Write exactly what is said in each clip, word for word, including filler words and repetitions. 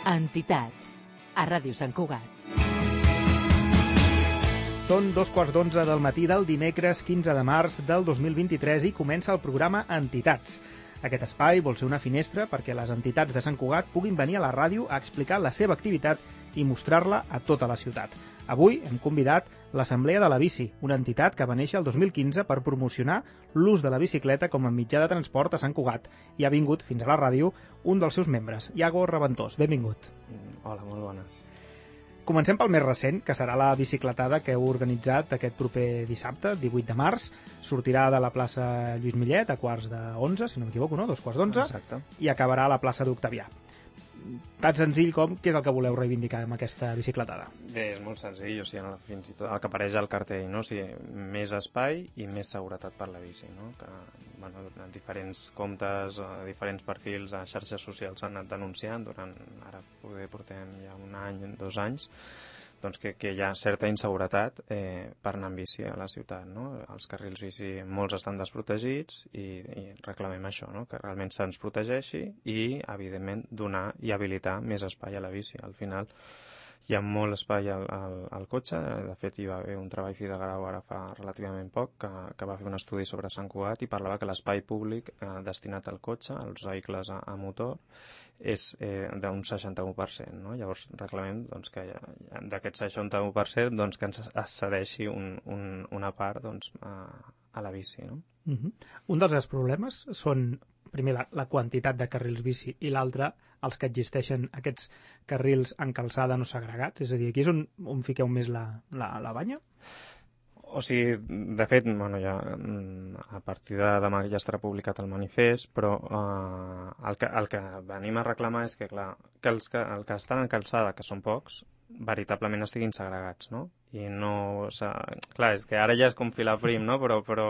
Entitats, a Ràdio Sant Cugat. Són dos quarts d'onze del matí del dimecres quinze de març del dos mil vint-i-tres i comença el programa Entitats. Aquest espai vol ser una finestra perquè les entitats de Sant Cugat puguin venir a la ràdio a explicar la seva activitat i mostrar-la a tota la ciutat. Avui hem convidat l'Assemblea de la Bici, una entitat que va néixer el dos mil quinze per promocionar l'ús de la bicicleta com a mitjà de transport a Sant Cugat. I ha vingut fins a la ràdio un dels seus membres, Iago Reventós. Benvingut. Hola, molt bones. Comencem pel més recent, que serà la bicicletada que heu organitzat aquest proper dissabte, divuit de març. Sortirà de la plaça Lluís Millet a quarts d'onze, si no m'equivoco, no? Dos quarts d'onze. Exacte. I acabarà a la plaça d'Octavià. Tan senzill com què és el que voleu reivindicar amb aquesta bicicletada? Bé, és molt senzill, o sigui, fins i tot el que apareix al cartell, no? O sigui, més espai i més seguretat per la bici, no? Que, bueno, en diferents comptes, a diferents perfils a xarxes socials s'han anat denunciant durant, ara poder portem ja un any, dos anys, doncs que, que hi ha certa inseguretat eh, per anar amb bici a la ciutat, no? Els carrils bici molts estan desprotegits i, i reclamem això, no? Que realment se'ns protegeixi i, evidentment, donar i habilitar més espai a la bici. Al final hi ha molt espai al, al, al cotxe. De fet, hi va haver un treball fi de grau ara fa relativament poc que, que va fer un estudi sobre Sant Cugat i parlava que l'espai públic eh, destinat al cotxe, als vehicles a, a motor, és eh, d'un seixanta-u per cent, no? Llavors reclamem doncs, que d'aquest seixanta-u per cent doncs, que ens es cedeixi un, un, una part doncs, a, a la bici, no? Uh-huh. Un dels problemes són, primer, la, la quantitat de carrils bici i l'altre, els que existeixen aquests carrils en calçada no segregats. És a dir, aquí és on, on fiqueu més la, la, la banya? O sigui, de fet, bueno, ja, a partir de demà ja estarà publicat el manifest, però eh, el, que, el que venim a reclamar és que, clar, que els que, el que estan en calçada, que són pocs, veritablement estiguin segregats, no? I no... O sigui, clar, és que ara ja és com filar prim, no? Però, però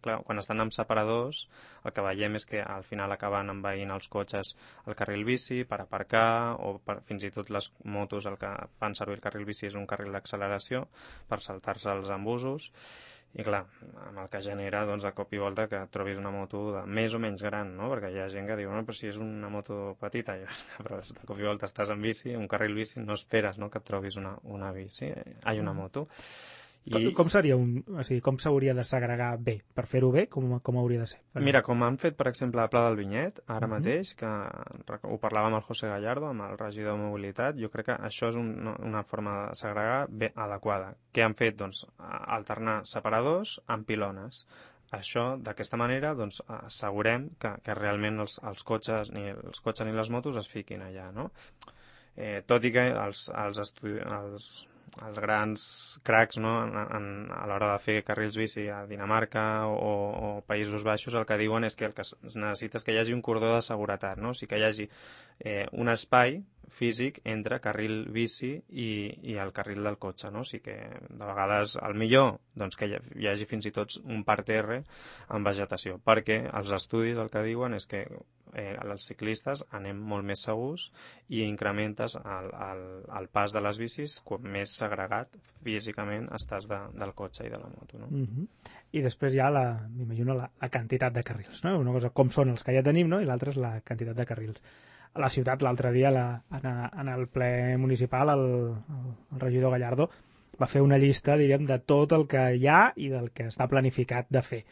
clar, quan estan amb separadors, el que veiem és que al final acaben envaint els cotxes el carril bici per aparcar, o per, fins i tot les motos el que fan servir el carril bici és un carril d'acceleració per saltar-se els embusos. I clar, amb el que genera, doncs, de cop i volta que trobis una moto de més o menys gran, no? Perquè hi ha gent que diu, no, però si és una moto petita, però de cop i volta estàs en bici, un carril bici, no esperes, no?, que et trobis una, una bici, ai, una moto. I... Com, com seria un... O sigui, com s'hauria de segregar bé? Per fer-ho bé, com, com hauria de ser? Per... Mira, com han fet, per exemple, a Pla del Vinyet, ara uh-huh. mateix, que ho parlava amb el José Gallardo, amb el regidor de Mobilitat, jo crec que això és un, una forma de segregar bé adequada. Què han fet? Doncs alternar separadors amb pilones. Això, d'aquesta manera, doncs, assegurem que, que realment els, els, cotxes, ni els cotxes ni les motos es fiquin allà, no? Eh, tot i que els, els, estudi... els els grans cracs, no?, en, en, a l'hora de fer carrils bici a Dinamarca o, o Països Baixos, el que diuen és que el que es necessita és que hi hagi un cordó de seguretat, no? O sigui, que hi hagi eh, un espai físic entre carril bici i, i el carril del cotxe, no? O sigui que de vegades el millor doncs, que hi, hi hagi fins i tot un parterre amb vegetació, perquè els estudis el que diuen és que eh, els ciclistes anem molt més segurs i incrementes el, el, el pas de les bicis com més segregat físicament estàs de, del cotxe i de la moto, no? Uh-huh. I després hi ha, la, m'imagino, la, la quantitat de carrils, no? Una cosa com són els que ja tenim, no? I l'altra és la quantitat de carrils. A la ciutat, l'altre dia, la, en, en el ple municipal, el, el, el regidor Gallardo va fer una llista, diríem, de tot el que hi ha i del que està planificat de fer.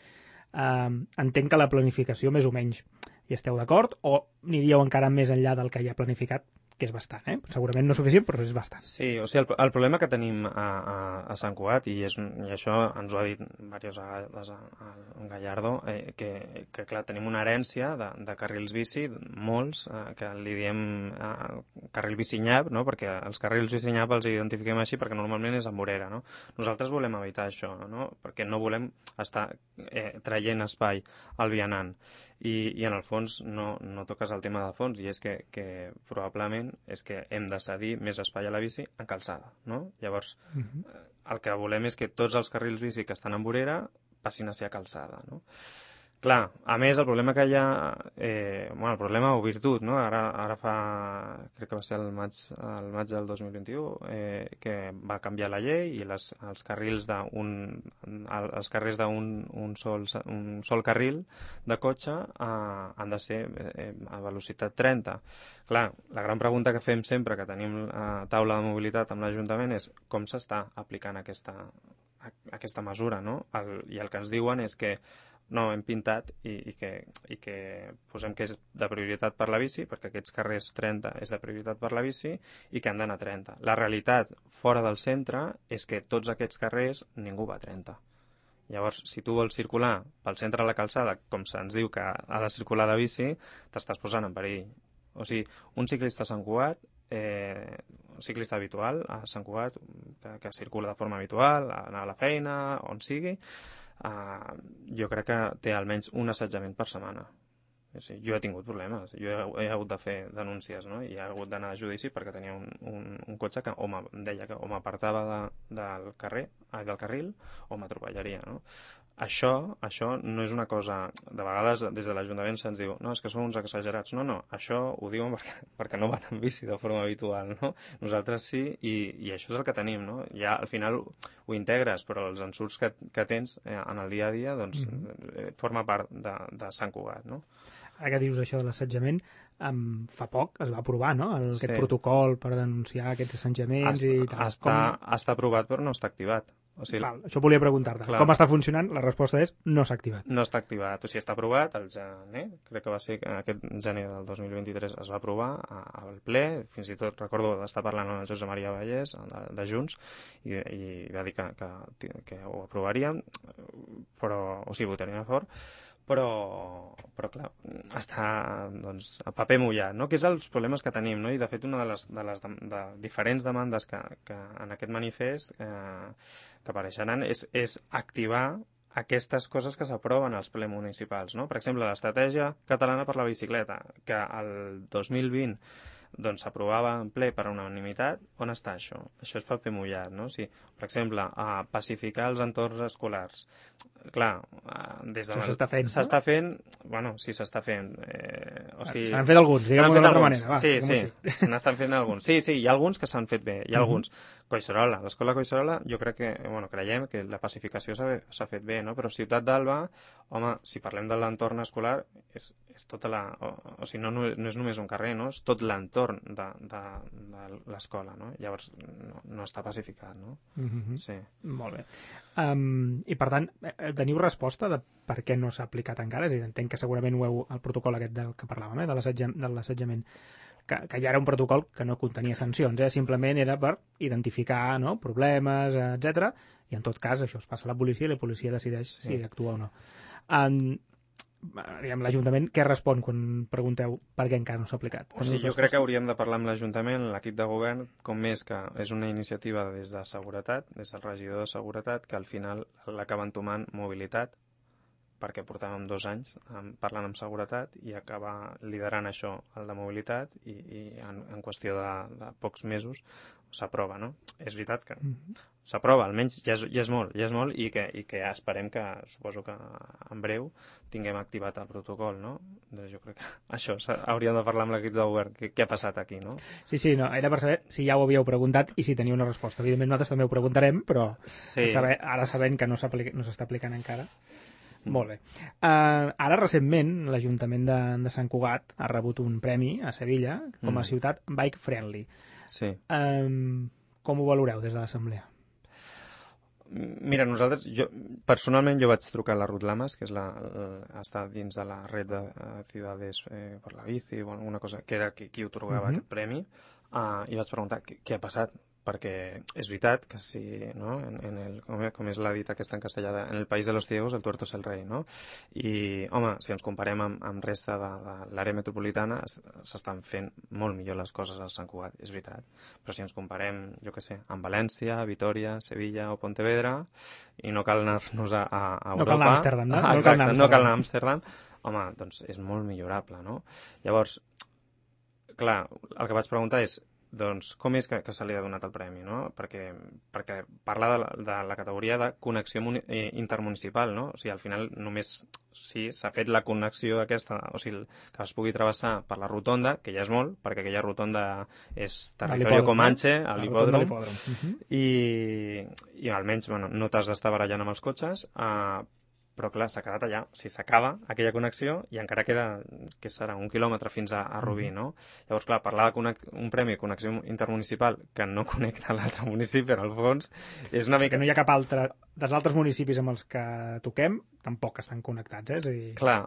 Um, entenc que la planificació, més o menys, hi esteu d'acord, o aniríeu encara més enllà del que hi ha planificat, que és bastant, eh? Segurament no suficient, però és bastant. Sí, o sigui, el, el problema que tenim a, a, a Sant Cugat, i, és, i això ens ho ha dit diverses vegades a, a, a Gallardo, eh, que, que clar, tenim una herència de, de carrils bici, molts, eh, que li diem eh, carril bici nyap, no?, perquè els carrils bici nyap els identifiquem així perquè normalment és amb vorera, no? Nosaltres volem evitar això, no?, perquè no volem estar eh, traient espai al vianant. I, i en el fons no, no toques el tema de fons, i és que, que probablement és que hem de cedir més espai a la bici en calçada, no? Llavors, uh-huh. el que volem és que tots els carrils bici que estan en vorera passin a ser a calçada, no? Clar, a més, el problema que hi ha, eh, bueno, el problema o virtut, no? Ara, ara fa, crec que va ser el maig, el maig del dos mil vint-i-u, eh, que va canviar la llei i les, els carrils d'un els carrers d'un un sol, un sol carril de cotxe eh, han de ser eh, a velocitat trenta. Clar, la gran pregunta que fem sempre que tenim a taula de mobilitat amb l'Ajuntament és com s'està aplicant aquesta, aquesta mesura, no? El, I el que ens diuen és que no, hem pintat i, i, que, i que posem que és de prioritat per la bici, perquè aquests carrers trenta és de prioritat per la bici i que han d'anar a trenta. La realitat fora del centre és que tots aquests carrers ningú va a trenta. Llavors, si tu vols circular pel centre de la calçada, com se'ns diu que ha de circular la bici, t'estàs posant en perill. O sigui, un ciclista a Sant Cugat, eh, un ciclista habitual a Sant Cugat, que, que circula de forma habitual, a anar a la feina, on sigui, Uh, jo crec que té almenys un assetjament per setmana. O sigui, jo he tingut problemes, jo he, he hagut de fer denúncies, no? I he hagut d'anar a judici perquè tenia un, un, un cotxe que o em deia que o m'apartava de, del carrer, ai, del carril o m'atropellaria, no? Això, això no és una cosa... De vegades des de l'Ajuntament se'ns diu no, és que són uns exagerats. No, no, això ho diuen perquè, perquè no van en bici de forma habitual, no? Nosaltres sí, i, i això és el que tenim, no? Ja al final ho, ho integres, però els ensurts que, que tens eh, en el dia a dia, doncs, mm-hmm. forma part de, de Sant Cugat, no? Ara que dius això de l'assetjament, um, fa poc es va aprovar, no?, el, sí. aquest protocol per denunciar aquests assetjaments està, i tal. Està, Com... està aprovat però no està activat. O sigui, clar, això volia preguntar-te. clar. Com està funcionant? La resposta és no s'ha activat. No està activat. O sigui, està aprovat al gener, crec que va ser aquest gener del dos mil vint-i-tres es va aprovar al ple, fins i tot recordo d'estar parlant amb el Josep Maria Vallès de, de Junts i, i va dir que, que, que ho aprovaríem, però, o sigui, votaríem a favor, però, però clar, està doncs, a paper mullat, no? Que és els problemes que tenim, no? I de fet una de les, de les de, de diferents demandes que, que en aquest manifest eh, que apareixeran és, és activar aquestes coses que s'aproven als ple municipals, no? Per exemple, l'estratègia catalana per la bicicleta, que el dos mil vint doncs s'aprovava en ple per unanimitat. On està això? Això és paper mullat, no? O sigui, per exemple, a pacificar els entorns escolars. Clar, des de... Això s'està fent, S'està no? fent... Bueno, sí, s'està fent. Eh, o sigui... Se n'han fet alguns, diguem-ho d'una altra manera. Va, sí, sí, se n'estan fent alguns. Sí, sí, hi ha alguns que s'han fet bé, hi ha uh-huh. alguns. Collserola, l'escola Collserola, jo crec que, bueno, creiem que la pacificació s'ha fet bé, no? Però Ciutat d'Alba, home, si parlem de l'entorn escolar, és, és tota la... O, o sigui, no, no, no és només un carrer, no? És tot l'entorn de, de, de l'escola, no? Llavors, no, no està pacificat, no? Uh-huh. Sí. Molt bé. Um, I, per tant, teniu resposta de per què no s'ha aplicat encara? És a dir, entenc que segurament ho heu, el protocol aquest del que parlàvem, eh, de l'assetjament, que, que ja era un protocol que no contenia sancions, eh? Simplement era per identificar, no?, problemes, etcètera. I en tot cas això es passa a la policia i la policia decideix sí. si actua o no. Um, l'Ajuntament què respon quan pregunteu per què encara no s'ha aplicat? O sigui, jo crec que hauríem de parlar amb l'Ajuntament, l'equip de govern, com més que és una iniciativa des de seguretat, des del regidor de seguretat, que al final l'acaba entomant mobilitat, perquè portàvem dos anys parlant amb seguretat i acabar liderant això, el de mobilitat, i, i en, en qüestió de, de pocs mesos s'aprova, no? És veritat que s'aprova, almenys ja és, ja és molt, ja és molt i que, i que ja esperem que, suposo que en breu tinguem activat el protocol, no? Doncs jo crec que això hauríem de parlar amb l'equip de govern, què, què ha passat aquí, no? Sí, sí, no, era per saber si ja ho havíeu preguntat i si teniu una resposta. Evidentment nosaltres també ho preguntarem, però sí. saber, ara sabent que no s'aplica, no s'està aplicant encara. Molt bé. Uh, ara, recentment, l'Ajuntament de, de Sant Cugat ha rebut un premi a Sevilla com a mm. ciutat bike friendly. Sí. Um, com ho valoreu des de l'Assemblea? Mira, nosaltres, jo, personalment jo vaig trucar a la Ruth Lamas, que és la, la, està dins de la red de uh, Ciudades eh, per la bici, o alguna cosa, que era qui, qui otorgava uh-huh. aquest premi, uh, i vaig preguntar què, què ha passat, perquè és veritat que si, no, en, en el, com, com és la dita aquesta en castellà, en el país de los ciegos el tuerto es el rei, no? I, home, si ens comparem amb, amb resta de, de l'àrea metropolitana, s'estan fent molt millor les coses al Sant Cugat, és veritat. Però si ens comparem, jo què sé, amb València, Vitoria, Sevilla o Pontevedra, i no cal anar-nos a, a Europa... No cal anar a Amsterdam, no? Ah, exacte, no cal anar a Amsterdam. Home, doncs és molt millorable, no? Llavors, clar, el que vaig preguntar és doncs com és que, que se li ha donat el premi, no? Perquè, perquè parla de la, de la categoria de connexió intermunicipal, no? O sigui, al final només sí, s'ha fet la connexió aquesta, o sigui, que es pugui travessar per la rotonda, que ja és molt, perquè aquella rotonda és territori Comanche, a l'hipòdrom, i, i almenys bueno, no t'has d'estar barallant amb els cotxes, eh, però clar, s'ha quedat allà, o sigui, s'acaba aquella connexió i encara queda, què serà, un quilòmetre fins a, a Rubí, no? Llavors, clar, parlar d'un premi de connexió intermunicipal que no connecta l'altre municipi, en el fons, és una mica... Que no hi ha cap altre, dels altres municipis amb els que toquem, tampoc estan connectats, eh? És a dir... Clar,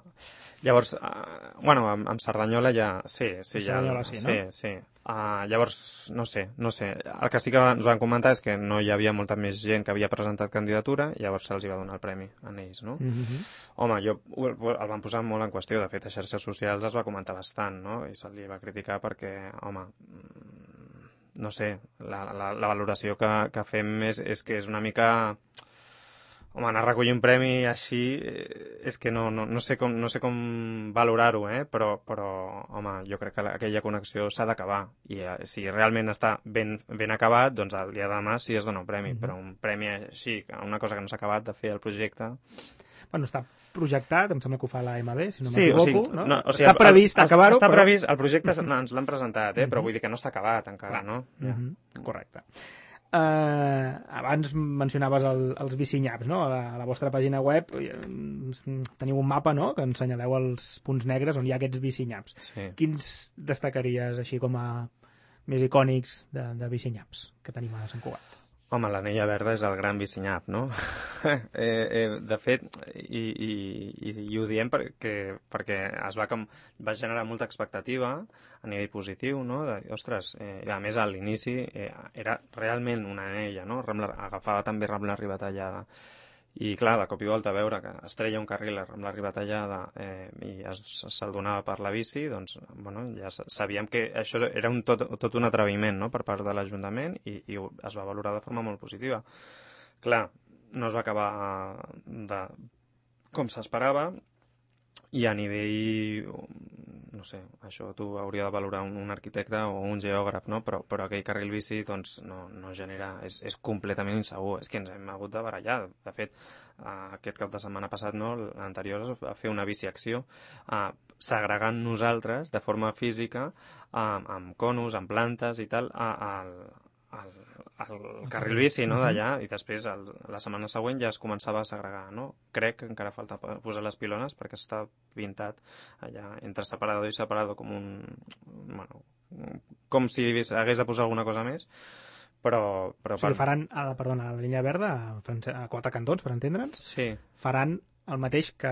llavors, uh, bueno, amb, amb Cerdanyola ja... Sí, sí, ja... Cerdanyola sí, no? Sí, sí. Uh, llavors, no sé, no sé. El que sí que ens van comentar és que no hi havia molta més gent que havia presentat candidatura, i llavors se'ls va donar el premi a ells, no? Mm -hmm. Home, jo el, el van posar molt en qüestió, de fet, a xarxes socials es va comentar bastant, no? I se li va criticar perquè, home, no sé, la, la, la valoració que, que fem és, és que és una mica... Home, anar a recollir un premi així és que no, no, no, sé, com, no sé com valorar-ho, eh? però, però, home, jo crec que la, aquella connexió s'ha d'acabar. I eh, si realment està ben, ben acabat, doncs el dia de demà sí es dona un premi, mm-hmm. però un premi així, una cosa que no s'ha acabat de fer el projecte... Bueno, està projectat, em sembla que ho fa l'A M B, si no sí, m'equivoco, o sigui, no? no o sigui, està previst acabar-ho, Està però... previst, el projecte ens l'han presentat, eh? però vull dir que no està acabat encara, no? Ja. Mm-hmm. Correcte. Uh, abans mencionaves el, els bicinyaps, no? A la, a la vostra pàgina web teniu un mapa, no?, que ensenyaleu els punts negres on hi ha aquests bicinyaps. Sí. Quins destacaries així com a més icònics de, de bicinyaps que tenim a Sant Cugat? Home, l'anella verda és el gran bicinyap, no? eh, eh, de fet, i, i, i, i ho diem perquè, perquè es va, com, va generar molta expectativa a nivell positiu, no? De, ostres, eh, a més, a l'inici eh, era realment una anella, no? Rambla, agafava també Rambla Ribatallada. I clar, de cop i volta veure que es treia un carril amb la Ribatallada eh, i se'l donava per la bici, doncs bueno, ja sabíem que això era un tot, tot un atreviment, no?, per part de l'Ajuntament, i, i es va valorar de forma molt positiva. Clar, no es va acabar de com s'esperava, i a nivell, no sé, això t'ho hauria de valorar un, un arquitecte o un geògraf, no? Però, però aquell carril bici doncs, no, no genera... És, és completament insegur, és que ens hem hagut de barallar. De fet, uh, aquest cap de setmana passat, no, l'anterior, es va fer una biciacció uh, segregant nosaltres de forma física uh, amb conos, amb plantes i tal, al... al el carril bici, no?, d'allà, i després el, la setmana següent ja es començava a segregar, no? Crec que encara falta posar les pilones perquè està pintat allà entre separador i separador com un... bueno, com si hagués de posar alguna cosa més, però... però o sigui, faran, a, perdona, a la línia verda, a, a quatre cantons, per entendre'ns, sí. Faran el mateix que,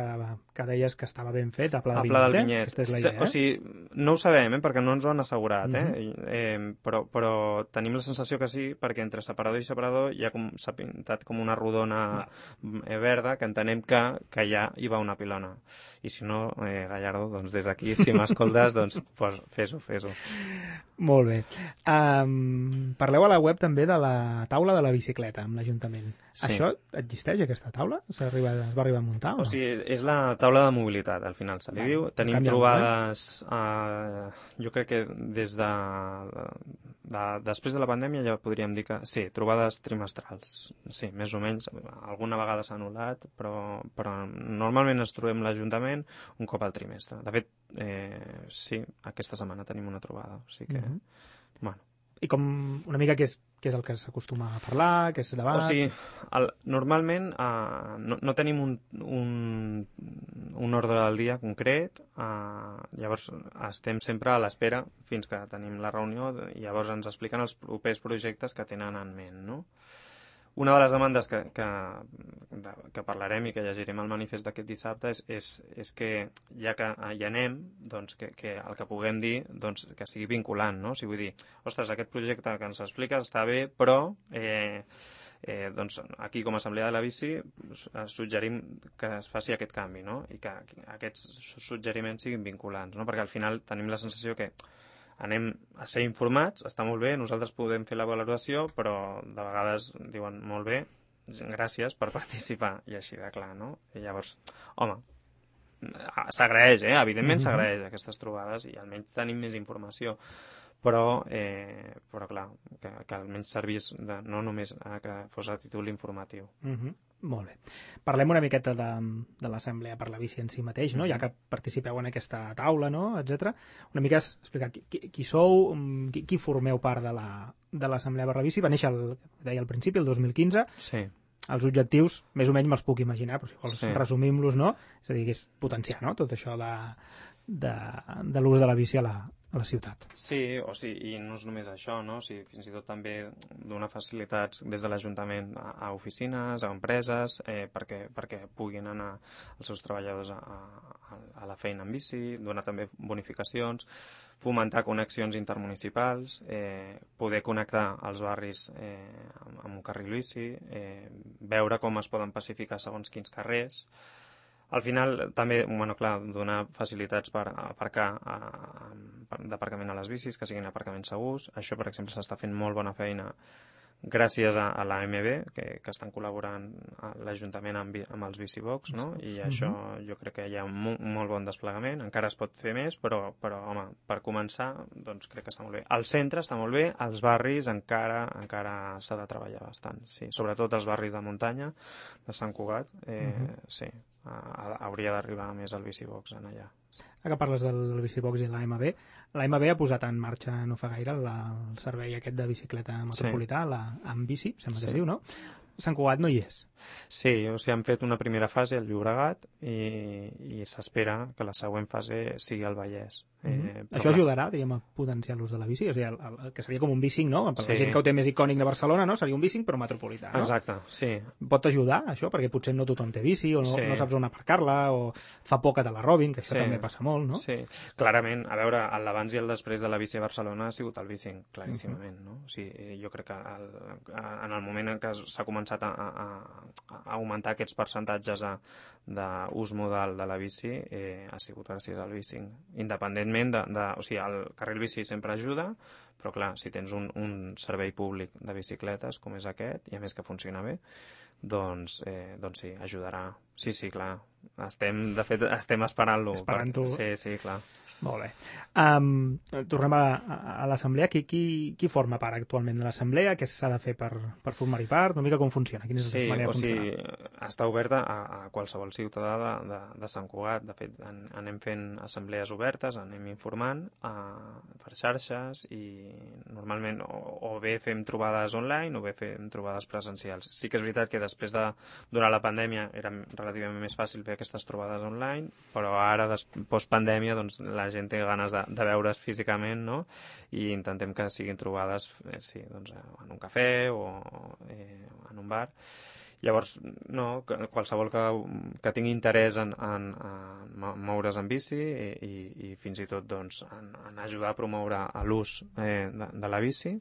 que deies que estava ben fet a Pla del Vinyet. A Pla del Vinyet, Vinyet. eh? Aquesta és la idea, eh? O sigui, no ho sabem, eh? Perquè no ens ho han assegurat, eh? Uh-huh. eh però, però tenim la sensació que sí, perquè entre separador i separador ja s'ha pintat com una rodona eh, verda, que entenem que, que ja hi va una pilona. I si no, eh, Gallardo, doncs des d'aquí, si m'escoltes, doncs pues, fes-ho, fes-ho. Molt bé. Um, parleu a la web també de la taula de la bicicleta amb l'Ajuntament. Sí. Això existeix, aquesta taula? S'arriba, es va arribar a muntar? O, o sigui, és la taula de mobilitat, al final se li diu. Tenim trobades, eh, jo crec que des de, de... després de la pandèmia ja podríem dir que... Sí, trobades trimestrals. Sí, més o menys. Alguna vegada s'ha anul·lat, però, però normalment ens trobem l'Ajuntament un cop al trimestre. De fet, eh, sí, aquesta setmana tenim una trobada. O sigui que, mm-hmm. bueno. I com una mica què és, què és el que s'acostuma a parlar, què és debat? O sigui, el, normalment eh, no, no tenim un, un, un ordre del dia concret, eh, llavors estem sempre a l'espera fins que tenim la reunió i llavors ens expliquen els propers projectes que tenen en ment, no? Una de les demandes que, que, de, que parlarem i que llegirem al manifest d'aquest dissabte és, és, és que, ja que hi anem, doncs que, que el que puguem dir doncs, que sigui vinculant, no? O sigui, vull dir, ostres, aquest projecte que ens expliques està bé, però eh, eh, doncs, aquí com a Assemblea de la Bici suggerim que es faci aquest canvi, no? I que aquests suggeriments siguin vinculants, no? Perquè al final tenim la sensació que anem a ser informats, està molt bé, nosaltres podem fer la valoració, però de vegades diuen molt bé, gràcies per participar, i així de clar, no? I llavors, home, s'agraeix, eh? Evidentment s'agraeix aquestes trobades i almenys tenim més informació, però, eh, però clar, que, que almenys servís de, no només a que fos a títol informatiu. Uh-huh. Molt bé. Parlem una miqueta de, de l'Assemblea per la Bici en si mateix, no? Uh-huh. Ja que participeu en aquesta taula, no? etcètera. Una mica explicar qui, qui sou, qui, qui formeu part de la, de l'Assemblea per la Bici. Va néixer, el, deia al principi, el dos mil quinze. Sí. Els objectius, més o menys me'ls puc imaginar, però si vols sí. resumim-los, no? És a dir, que és potenciar, no?, tot això de, de, de l'ús de la bici a la, a la ciutat. Sí, o sigui, i no és només això, no? O sigui, fins i tot també donar facilitats des de l'Ajuntament a, a oficines, a empreses, eh, perquè, perquè puguin anar els seus treballadors a, a, a la feina en bici, donar també bonificacions, fomentar connexions intermunicipals, eh, poder connectar els barris eh, amb, amb un carril bici, eh, veure com es poden pacificar segons quins carrers. Al final, també, bueno, clar, donar facilitats per aparcar a, a, d'aparcament a les bicis, que siguin aparcaments segurs. Això, per exemple, s'està fent molt bona feina gràcies a, a l'A M B, que, que estan col·laborant a l'Ajuntament amb, amb els bicibox, no? I uh-huh. això jo crec que hi ha un, un molt bon desplegament. Encara es pot fer més, però, però home, per començar, doncs crec que està molt bé. El centre està molt bé, els barris encara encara s'ha de treballar bastant, sí. Sobretot els barris de muntanya, de Sant Cugat, eh, uh-huh. sí, a, a, hauria d'arribar més al bicibox en allà. Ara que parles del bicibox i l'A M B, l'A M B ha posat en marxa no fa gaire la, el servei aquest de bicicleta metropolità, sí. la Ambici, sembla sí. que es diu, no? Sant Cugat no hi és. Sí, o sigui, han fet una primera fase al Llobregat i, i s'espera que la següent fase sigui al Vallès. Mm-hmm. eh, Això ajudarà, diríem, a potenciar l'ús de la bici? O sigui, el, el, que seria com un bicing, no? Per sí. la gent que ho té més icònic de Barcelona, no? Seria un bicing però metropolità, no? Exacte, sí. Pot ajudar, això? Perquè potser no tothom té bici o no, sí. no saps on aparcar-la o fa por que te la robin, que això sí. també passa molt, no? Sí, clarament, a veure, l'abans i el després de la bici a Barcelona ha sigut el bicing, claríssimament, mm-hmm. no? O sigui, jo crec que el, en el moment en què s'ha començat a, a, a augmentar aquests percentatges d'ús modal de la bici eh, ha sigut gràcies al bicing. Independentment de, de... O sigui, el carril bici sempre ajuda, però clar, si tens un, un servei públic de bicicletes com és aquest, i a més que funciona bé, doncs, eh, doncs sí, ajudarà. Sí, sí, clar. Estem, de fet, estem esperant-lo. Esperant-ho. Sí, sí, clar. Molt bé. Um, tornem a, a, a l'assemblea. Qui, qui, qui forma part actualment de l'assemblea? Què s'ha de fer per, per formar-hi part? Una mica com funciona? Quina és sí, la manera de funcionar? Sí, o sigui, està oberta a, a qualsevol ciutadà de, de, de Sant Cugat. De fet, en, anem fent assemblees obertes, anem informant a, per xarxes i normalment o, o bé fem trobades online o bé fem trobades presencials. Sí que és veritat que després de, durant la pandèmia era relativament més fàcil fer aquestes trobades online, però ara, post-pandèmia, doncs, la gent té ganes de, de veure's físicament, no? I intentem que siguin trobades eh, sí, doncs, en un cafè o eh, en un bar. Llavors, no, qualsevol que, que tingui interès en, en, en moure's en bici i, i, i fins i tot doncs, en, en ajudar a promoure l'ús eh, de, de la bici,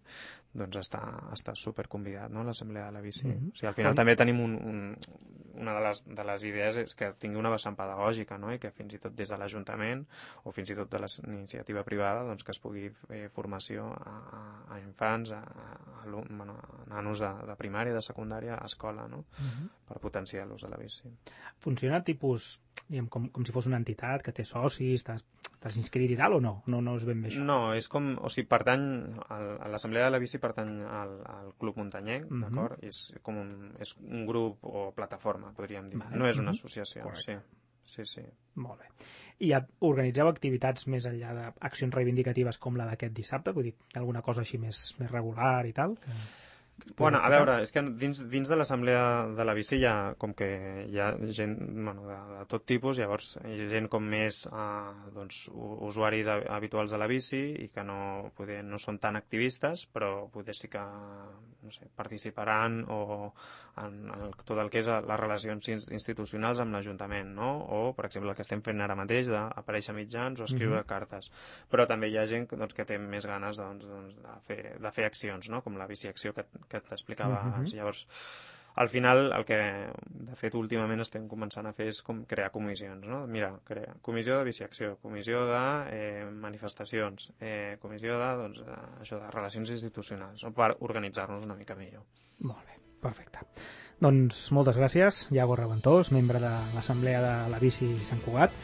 doncs està, està super convidat, no?, l'assemblea de la bici. Mm-hmm. O sigui, al final mm-hmm. també tenim un, un, una de les, de les idees és que tingui una vessant pedagògica, no?, i que fins i tot des de l'Ajuntament o fins i tot de l'iniciativa privada doncs, que es pugui fer formació a, a infants, a, a, a, bueno, a nanos de, de primària, de secundària, a escola, no?, mm-hmm. per potenciar l'ús de la bici. Funciona tipus, diguem, com, com si fos una entitat que té socis, t'has, t'has inscrit i tal, o no? No, no és ben bé això? No, és com, o sigui, pertany, a l'assemblea de la bici pertany al, al Club Muntanyenc, mm-hmm. d'acord? És com un, és un grup o plataforma, podríem dir. Vale. No és una mm-hmm. associació, Correcte. sí. Sí, sí. Molt bé. I organitzeu activitats més enllà d'accions reivindicatives com la d'aquest dissabte? Vull dir, alguna cosa així més, més regular i tal? Que... Bueno, a veure, és que dins, dins de l'assemblea de la bici hi ha com que hi ha gent bueno, de, de tot tipus, llavors hi ha gent com més eh, doncs, usuaris habituals de la bici i que no, poder, no són tan activistes, però poder sí que no sé, participaran o en el, tot el que és les relacions institucionals amb l'Ajuntament, no? O, per exemple, el que estem fent ara mateix d'aparèixer mitjans o escriure mm-hmm. cartes. Però també hi ha gent doncs, que té més ganes doncs, doncs, de, fer, de fer accions, no? Com la biciacció que que t'explicava uh-huh. abans. Llavors, al final, el que de fet últimament estem començant a fer és com crear comissions, no? Mira, crear comissió de biciacció, comissió de eh, manifestacions, eh, comissió de, doncs, de, això, de relacions institucionals, no? Per organitzar-nos una mica millor. Molt bé, perfecte. Doncs moltes gràcies, Iago Reventós, membre de l'Assemblea de la Bici Sant Cugat,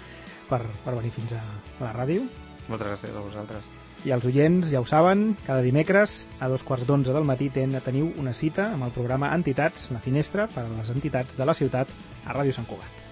per, per venir fins a la ràdio. Moltes gràcies a vosaltres. I els oients ja ho saben, cada dimecres a dos quarts d'onze del matí ten, teniu una cita amb el programa Entitats, la finestra per a les entitats de la ciutat a Ràdio Sant Cugat.